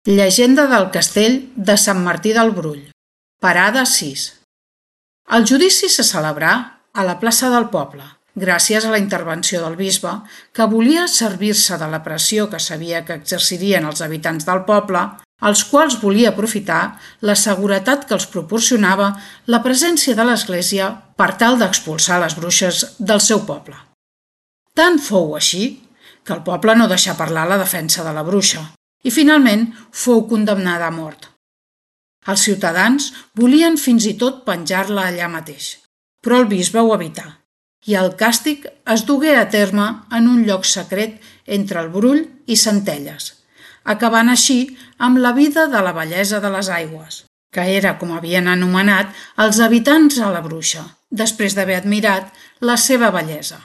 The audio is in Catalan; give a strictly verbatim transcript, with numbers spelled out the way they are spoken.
Llegenda del castell de Sant Martí del Brull. Parada sis. El judici se celebrà a la plaça del poble, gràcies a la intervenció del bisbe, que volia servir-se de la pressió que sabia que exercirien els habitants del poble, als quals volia aprofitar la seguretat que els proporcionava la presència de l'Església per tal d'expulsar les bruixes del seu poble. Tant fou així que el poble no deixà parlar la defensa de la bruixa i finalment fou condemnada a mort. Els ciutadans volien fins i tot penjar-la allà mateix, però el bisbe ho evità i el càstig es dugué a terme en un lloc secret entre el Brull i Centelles, acabant així amb la vida de la bellesa de les aigües, que era com havien anomenat els habitants a la bruixa, després d'haver admirat la seva bellesa.